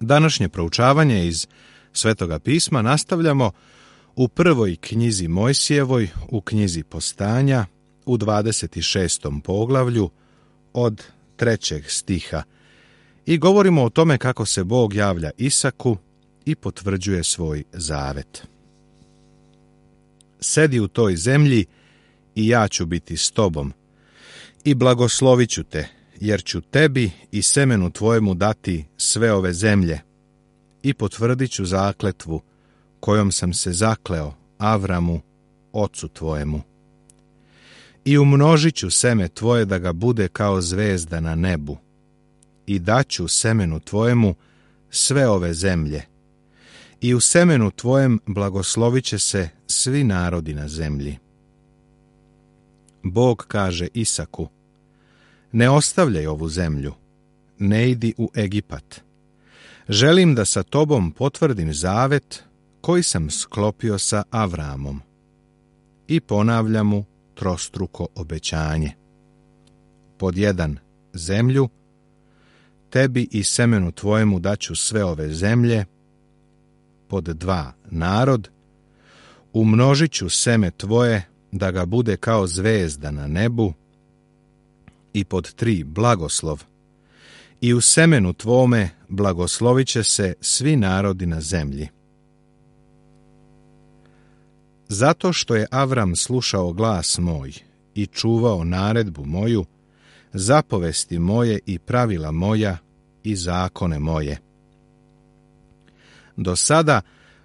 Današnje proučavanje iz Svetoga pisma nastavljamo u prvoj knjizi Mojsijevoj, u knjizi Postanja, u 26. poglavlju od 3. stiha i govorimo o tome kako se Bog javlja Isaku i potvrđuje svoj zavet. Sedi u toj zemlji i ja ću biti s tobom i blagoslovit ću te, jer ću tebi i semenu tvojemu dati sve ove zemlje i potvrdit ću zakletvu kojom sam se zakleo Avramu, ocu tvojemu. I umnožit ću seme tvoje da ga bude kao zvezda na nebu i daću semenu tvojemu sve ove zemlje i u semenu tvojem blagoslovit će se svi narodi na zemlji. Bog kaže Isaku: ne ostavljaj ovu zemlju, ne idi u Egipat. Želim da sa tobom potvrdim zavet koji sam sklopio sa Avramom. I ponavlja mu trostruko obećanje. Pod 1. Zemlju, tebi i semenu tvojemu daću sve ove zemlje. Pod 2. Narod, umnožit ću seme tvoje da ga bude kao zvezda na nebu. I pod 3. Blagoslov, i u semenu tvome blagoslovit će se svi narodi na zemlji. Zato što je Avram slušao glas moj i čuvao naredbu moju, zapovesti moje i pravila moja i zakone moje. Do sada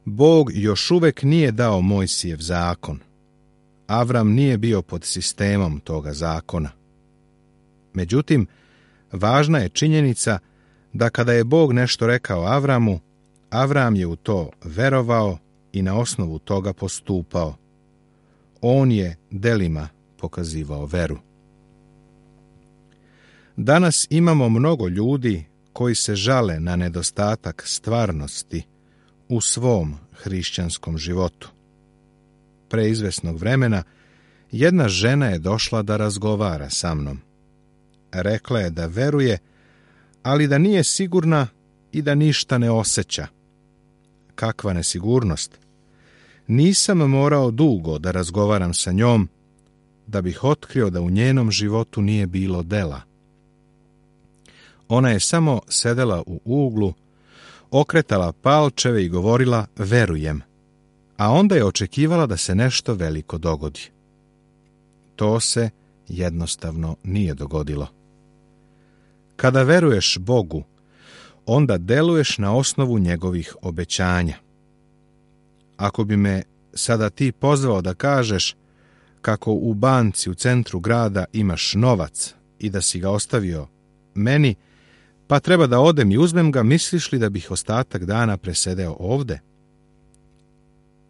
Bog još uvek nije dao Mojsijev zakon. Avram nije bio pod sistemom toga zakona. Međutim, važna je činjenica da kada je Bog nešto rekao Avramu, Avram je u to verovao i na osnovu toga postupao. On je delima pokazivao veru. Danas imamo mnogo ljudi koji se žale na nedostatak stvarnosti u svom hrišćanskom životu. Pre izvesnog vremena jedna žena je došla da razgovara sa mnom. Rekla je da veruje, ali da nije sigurna i da ništa ne osjeća. Kakva nesigurnost! Nisam morao dugo da razgovaram sa njom, da bih otkrio da u njenom životu nije bilo dela. Ona je samo sedela u uglu, okretala palčeve i govorila verujem, a onda je očekivala da se nešto veliko dogodi. To se jednostavno nije dogodilo. Kada veruješ Bogu, onda deluješ na osnovu njegovih obećanja. Ako bi me sada ti pozvao da kažeš kako u banci u centru grada imaš novac i da si ga ostavio meni, pa treba da odem i uzmem ga, misliš li da bih ostatak dana presedeo ovde?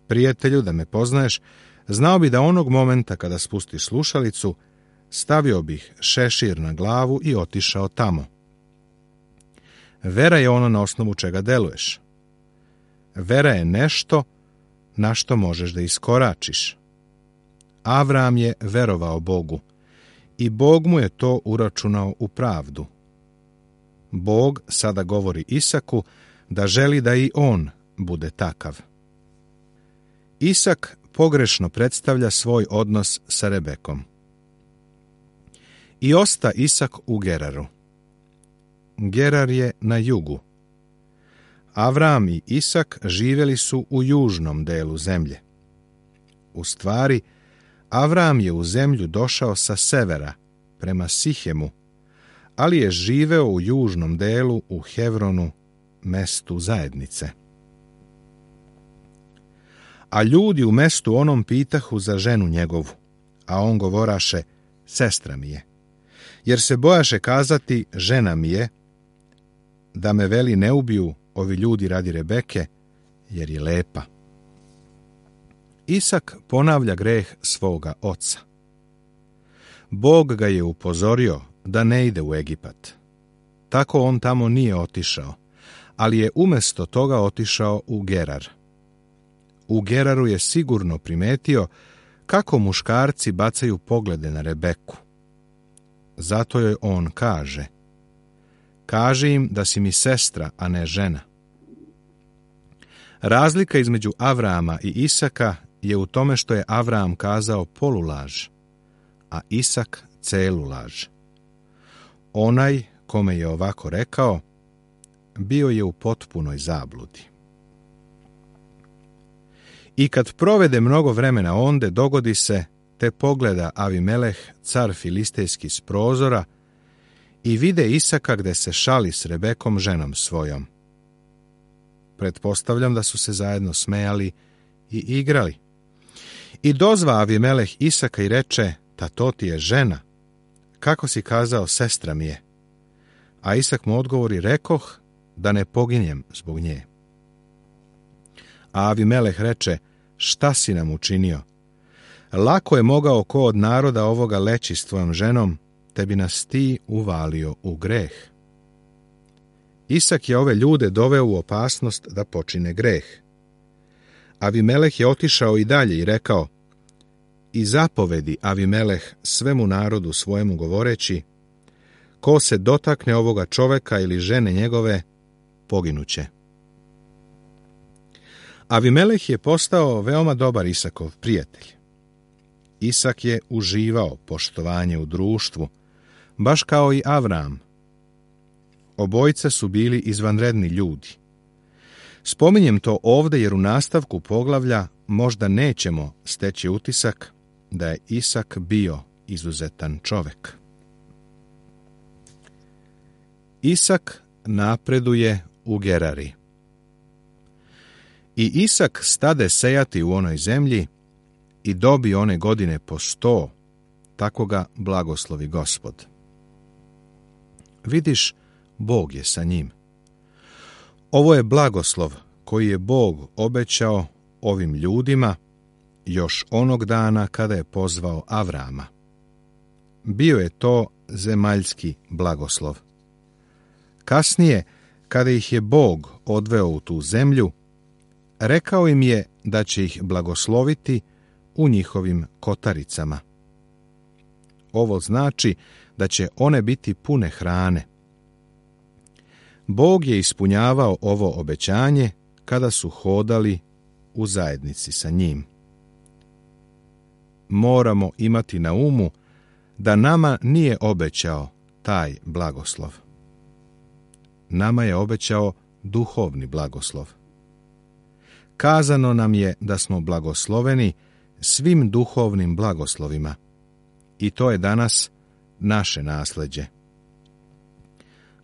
Prijatelju, da me poznaješ, znao bi da onog momenta kada spustiš slušalicu, stavio bih šešir na glavu i otišao tamo. Vera je ono na osnovu čega deluješ. Vera je nešto na što možeš da iskoračiš. Avram je verovao Bogu i Bog mu je to uračunao u pravdu. Bog sada govori Isaku da želi da i on bude takav. Isak pogrešno predstavlja svoj odnos sa Rebekom. I osta Isak u Geraru. Gerar je na jugu. Avram i Isak živjeli su u južnom delu zemlje. U stvari, Avram je u zemlju došao sa severa, prema Sihemu, ali je živeo u južnom delu u Hevronu, mestu zajednice. A ljudi u mestu onom pitahu za ženu njegovu, a on govoraše, sestra mi je, jer se bojaše kazati, žena mi je, da me veli ne ubiju ovi ljudi radi Rebeke, jer je lepa. Isak ponavlja greh svoga oca. Bog ga je upozorio da ne ide u Egipat. Tako on tamo nije otišao, ali je umjesto toga otišao u Gerar. U Geraru je sigurno primetio kako muškarci bacaju poglede na Rebeku. Zato joj on kaže: kaži im da si mi sestra, a ne žena, Razlika između Avrama i Isaka je u tome što je Avram kazao polulaž, a Isak celu laž. Onaj kome je ovako rekao, bio je u potpunoj zabludi. I kad provede mnogo vremena onde, dogodi se, te pogleda Avimeleh, car filistejski s prozora, i vide Isaka gde se šali s Rebekom, ženom svojom. Pretpostavljam da su se zajedno smejali i igrali. I dozva Avimeleh Isaka i reče, ta to ti je žena. Kako si kazao, sestra mi je? A Isak mu odgovori, rekoh, da ne poginjem zbog nje. A Avimeleh reče, šta si nam učinio? Lako je mogao ko od naroda ovoga leći s tvojom ženom, te bi nas ti uvalio u greh. Isak je ove ljude doveo u opasnost da počine greh. Avimeleh je otišao i dalje i rekao, i zapovedi Avimeleh svemu narodu svojemu govoreći, ko se dotakne ovoga čoveka ili žene njegove, poginuće. Avimeleh je postao veoma dobar Isakov prijatelj. Isak je uživao poštovanje u društvu, baš kao i Avram. Obojica su bili izvanredni ljudi. Spominjem to ovde jer u nastavku poglavlja možda nećemo steći utisak da je Isak bio izuzetan čovek. Isak napreduje u Gerari. I Isak stade sejati u onoj zemlji i dobi one godine po 100, tako ga blagoslovi Gospod. Vidiš, Bog je sa njim. Ovo je blagoslov koji je Bog obećao ovim ljudima još onog dana kada je pozvao Avrama. Bio je to zemaljski blagoslov. Kasnije, kada ih je Bog odveo u tu zemlju, rekao im je da će ih blagosloviti u njihovim kotaricama. Ovo znači da će one biti pune hrane. Bog je ispunjavao ovo obećanje kada su hodali u zajednici sa njim. Moramo imati na umu da nama nije obećao taj blagoslov. Nama je obećao duhovni blagoslov. Kazano nam je da smo blagosloveni svim duhovnim blagoslovima i to je danas naše nasleđe.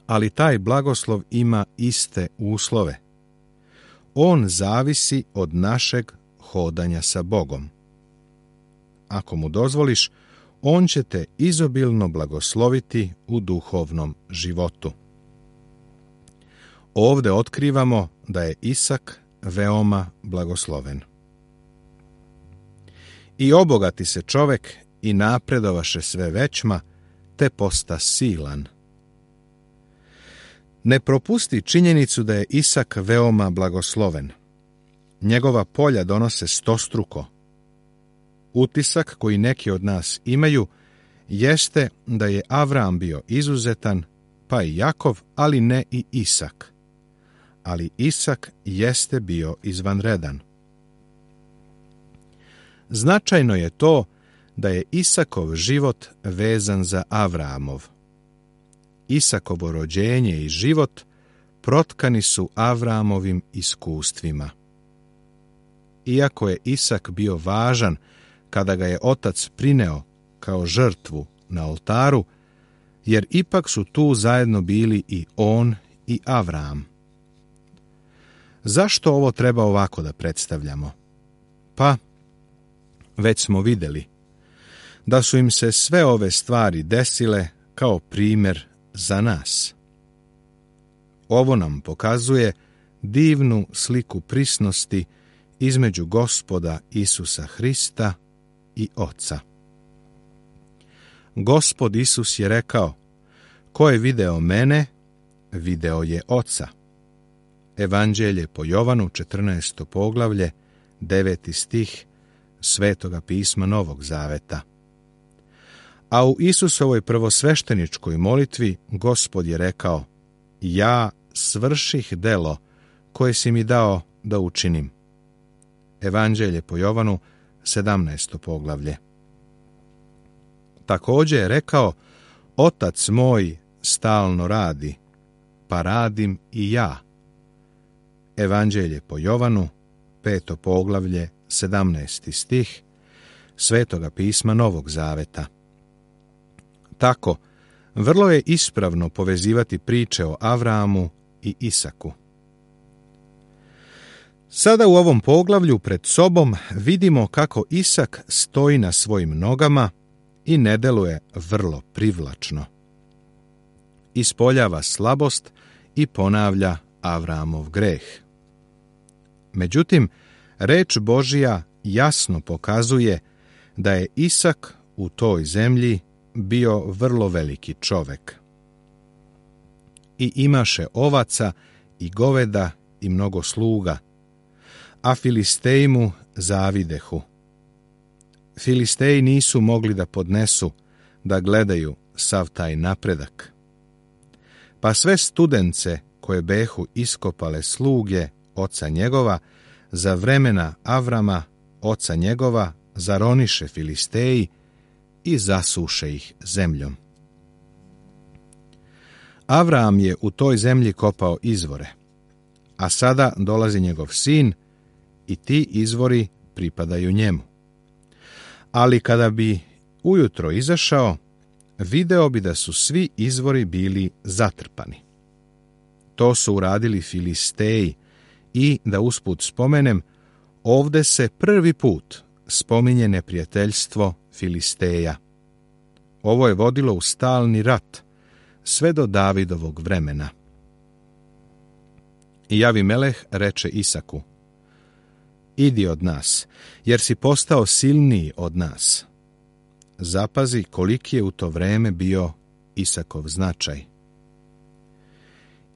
Ali taj blagoslov ima iste uslove. On zavisi od našeg hodanja sa Bogom. Ako mu dozvoliš, on će te izobilno blagosloviti u duhovnom životu. Ovde otkrivamo da je Isak veoma blagosloven. I obogati se čovek i napredovaše sve većma, te posta silan. Ne propusti činjenicu da je Isak veoma blagosloven. Njegova polja donose stostruko. Utisak koji neki od nas imaju jeste da je Avram bio izuzetan, pa i Jakov, ali ne i Isak. Ali Isak jeste bio izvanredan. Značajno je to da je Isakov život vezan za Avramov. Isakovo rođenje i život protkani su Avramovim iskustvima. Iako je Isak bio važan kada ga je otac prineo kao žrtvu na oltaru, jer ipak su tu zajedno bili i on i Avram. Zašto ovo treba ovako da predstavljamo? Pa, već smo vidjeli da su im se sve ove stvari desile kao primjer za nas. Ovo nam pokazuje divnu sliku prisnosti između Gospoda Isusa Hrista i Oca. Gospod Isus je rekao, ko je video mene, video je Oca. Evanđelje po Jovanu, 14. poglavlje, 9. stih Svetoga pisma Novog Zaveta. A u Isusovoj prvosvešteničkoj molitvi Gospod je rekao, ja svrših delo koje si mi dao da učinim. Evanđelje po Jovanu, 17. poglavlje. Također je rekao, Otac moj stalno radi, pa radim i ja. Evanđelje po Jovanu, 5. poglavlje, 17. stih Svetoga pisma Novog Zaveta. Tako, vrlo je ispravno povezivati priče o Avramu i Isaku. Sada u ovom poglavlju pred sobom vidimo kako Isak stoji na svojim nogama i ne deluje vrlo privlačno. Ispoljava slabost i ponavlja Avramov greh. Međutim, reč Božja jasno pokazuje da je Isak u toj zemlji bio vrlo veliki čovek. I imaše ovaca i goveda i mnogo sluga, a Filisteji mu zavidehu. Filisteji nisu mogli da podnesu da gledaju sav taj napredak. Pa sve studence koje behu iskopale sluge oca njegova, za vremena Avrama, oca njegova, zaroniše Filisteji i zasuše ih zemljom. Avram je u toj zemlji kopao izvore, a sada dolazi njegov sin i ti izvori pripadaju njemu. Ali kada bi ujutro izašao, video bi da su svi izvori bili zatrpani. To su uradili Filisteji i, da usput spomenem, ovde se prvi put spominje neprijateljstvo Filisteja. Ovo je vodilo u stalni rat, sve do Davidovog vremena. I Avimeleh reče Isaku, idi od nas, jer si postao silniji od nas. Zapazi koliki je u to vreme bio Isakov značaj.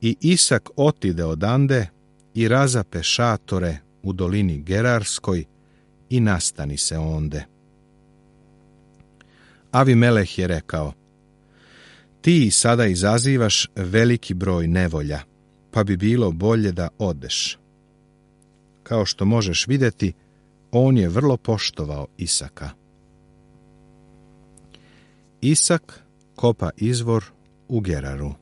I Isak otide odande i razape šatore u dolini Gerarskoj i nastani se onde. Avimeleh je rekao, ti sada izazivaš veliki broj nevolja, pa bi bilo bolje da odeš. Kao što možeš vidjeti, on je vrlo poštovao Isaka. Isak kopa izvor u Geraru.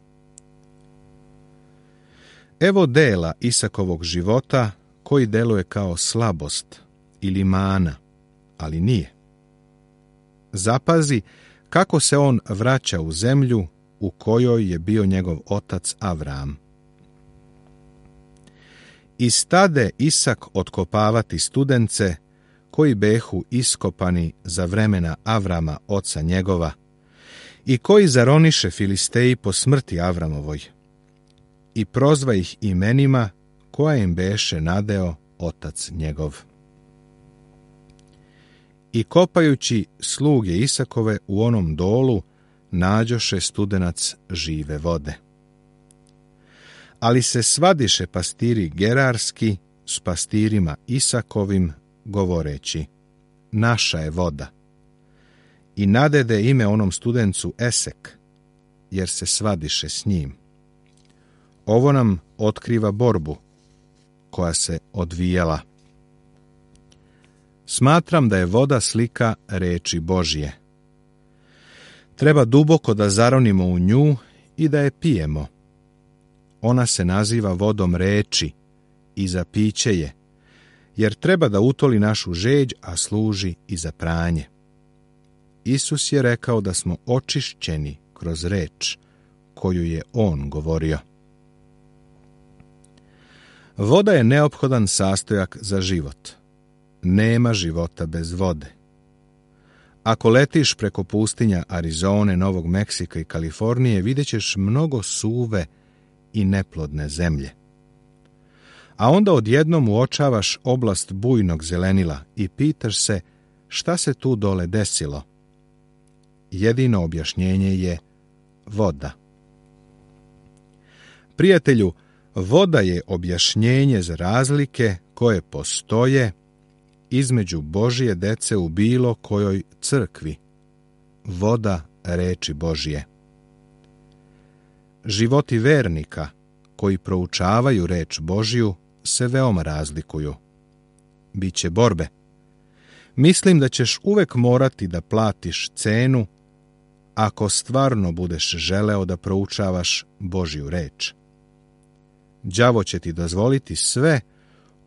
Evo dela Isakovog života koji deluje kao slabost ili mana, ali nije. Zapazi kako se on vraća u zemlju u kojoj je bio njegov otac Avram. I stade Isak otkopavati studence koji behu iskopani za vremena Avrama oca njegova i koji zaroniše Filisteji po smrti Avramovoj i prozva ih imenima koja im beše nadeo otac njegov. I kopajući sluge Isakove u onom dolu nađoše studenac žive vode. Ali se svadiše pastiri gerarski s pastirima Isakovim, govoreći, naša je voda. I nadede ime onom studencu Esek, jer se svadiše s njim. Ovo nam otkriva borbu koja se odvijala. Smatram da je voda slika reči Božje. Treba duboko da zaronimo u nju i da je pijemo. Ona se naziva vodom reči i za piće je, jer treba da utoli našu žeđ, a služi i za pranje. Isus je rekao da smo očišćeni kroz reč koju je on govorio. Voda je neophodan sastojak za život. Nema života bez vode. Ako letiš preko pustinja Arizone, Novog Meksika i Kalifornije, vidjet ćeš mnogo suve i neplodne zemlje. A onda odjednom uočavaš oblast bujnog zelenila i pitaš se šta se tu dole desilo. Jedino objašnjenje je voda. Prijatelju, voda je objašnjenje za razlike koje postoje između Božje dece u bilo kojoj crkvi. Voda reči Božje. Životi vernika koji proučavaju reč Božju se veoma razlikuju. Biće borbe. Mislim da ćeš uvek morati da platiš cenu ako stvarno budeš želeo da proučavaš Božju reč. Đavo će ti dozvoliti sve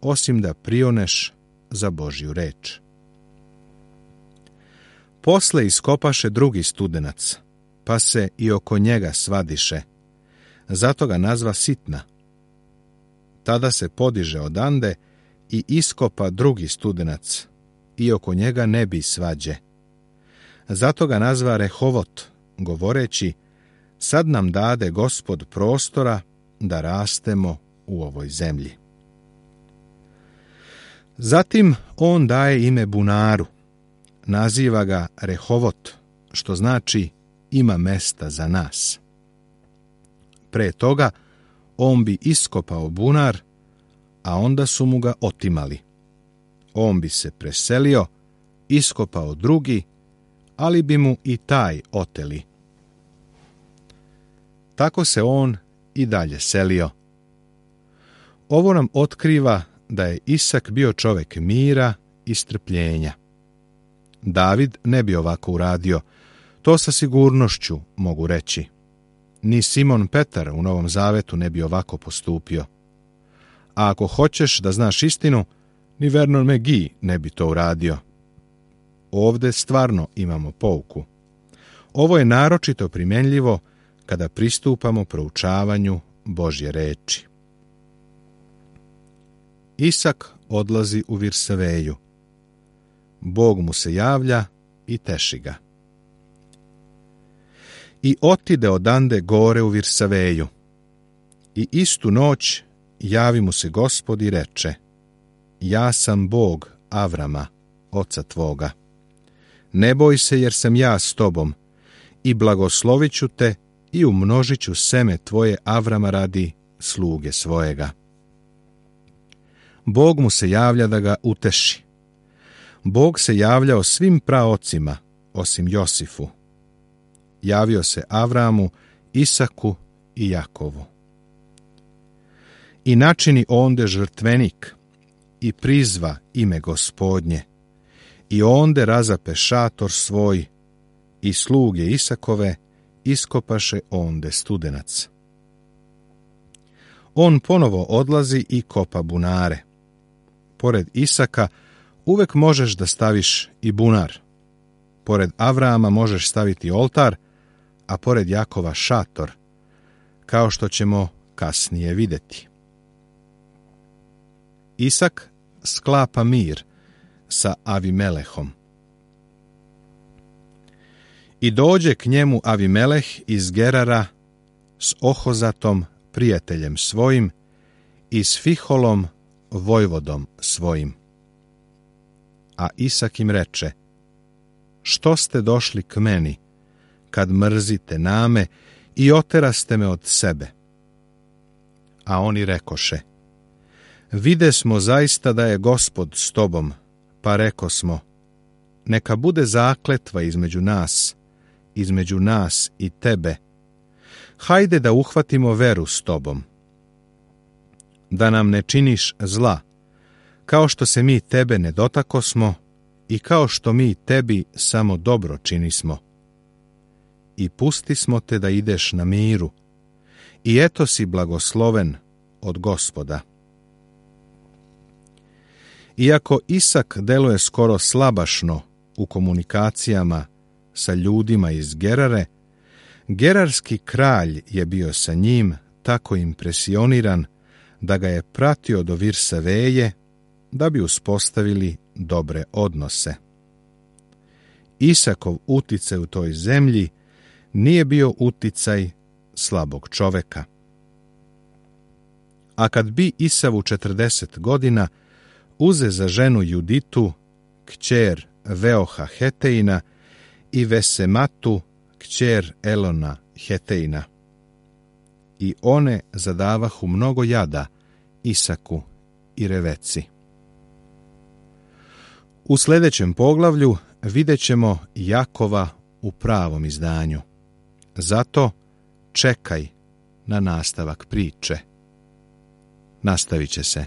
osim da prioneš za Božju reč. Posle iskopaše drugi studenac, pa se i oko njega svadiše. Zato ga nazva Sitna. Tada se podiže odande i iskopa drugi studenac, i oko njega ne bi svađe. Zato ga nazva Rehovot, govoreći, sad nam dade Gospod prostora da rastemo u ovoj zemlji. Zatim on daje ime bunaru, naziva ga Rehovot, što znači ima mesta za nas. Pre toga on bi iskopao bunar, a onda su mu ga otimali. On bi se preselio, iskopao drugi, ali bi mu i taj oteli. Tako se on i dalje selio. Ovo nam otkriva da je Isak bio čovek mira i strpljenja. David ne bi ovako uradio, to sa sigurnošću mogu reći. Ni Simon Petar u Novom Zavetu ne bi ovako postupio. A ako hoćeš da znaš istinu, ni Vernon McGee ne bi to uradio. Ovde stvarno imamo pouku. Ovo je naročito primenljivo kada pristupamo proučavanju Božje reči. Isak odlazi u Virsaveju. Bog mu se javlja i teši ga. I otide odande gore u Virsaveju. I istu noć javi mu se Gospod i reče: Ja sam Bog Avrama, oca tvoga. Ne boj se, jer sam ja s tobom, i blagoslovit ću te i umnožit ću seme tvoje Avrama radi sluge svojega. Bog mu se javlja da ga uteši. Bog se javljao svim praocima, osim Josifu. Javio se Avramu, Isaku i Jakovu. I načini onde žrtvenik i prizva ime Gospodnje, i onde razape šator svoj, i sluge Isakove iskopaše onde studenac. On ponovo odlazi i kopa bunare. Pored Isaka uvek možeš da staviš i bunar. Pored Avrama možeš staviti oltar, a pored Jakova šator, kao što ćemo kasnije videti. Isak sklapa mir sa Avimelehom. I dođe k njemu Avimeleh iz Gerara s Ohozatom, prijateljem svojim, i s Fiholom, vojvodom svojim. A Isak im reče: Što ste došli k meni, kad mrzite name i oteraste me od sebe? A oni rekoše: Vide smo zaista da je Gospod s tobom, pa rekosmo: Neka bude zakletva između nas i tebe. Hajde da uhvatimo veru s tobom. Da nam ne činiš zla, kao što se mi tebe ne dotakosmo i kao što mi tebi samo dobro činismo. I pustismo te da ideš na miru, i eto si blagosloven od Gospoda. Iako Isak deluje skoro slabašno u komunikacijama sa ljudima iz Gerare, gerarski kralj je bio sa njim tako impresioniran da ga je pratio do Virsaveje da bi uspostavili dobre odnose. Isakov uticaj u toj zemlji nije bio uticaj slabog čoveka. A kad bi Isavu 40 godina, uze za ženu Juditu, kćer Veoha Heteina, i Vesematu, kćer Elona Heteina. I one zadavahu mnogo jada Isaku i Reveci. U sljedećem poglavlju vidjet ćemo Jakova u pravom izdanju. Zato čekaj na nastavak priče. Nastavit će se.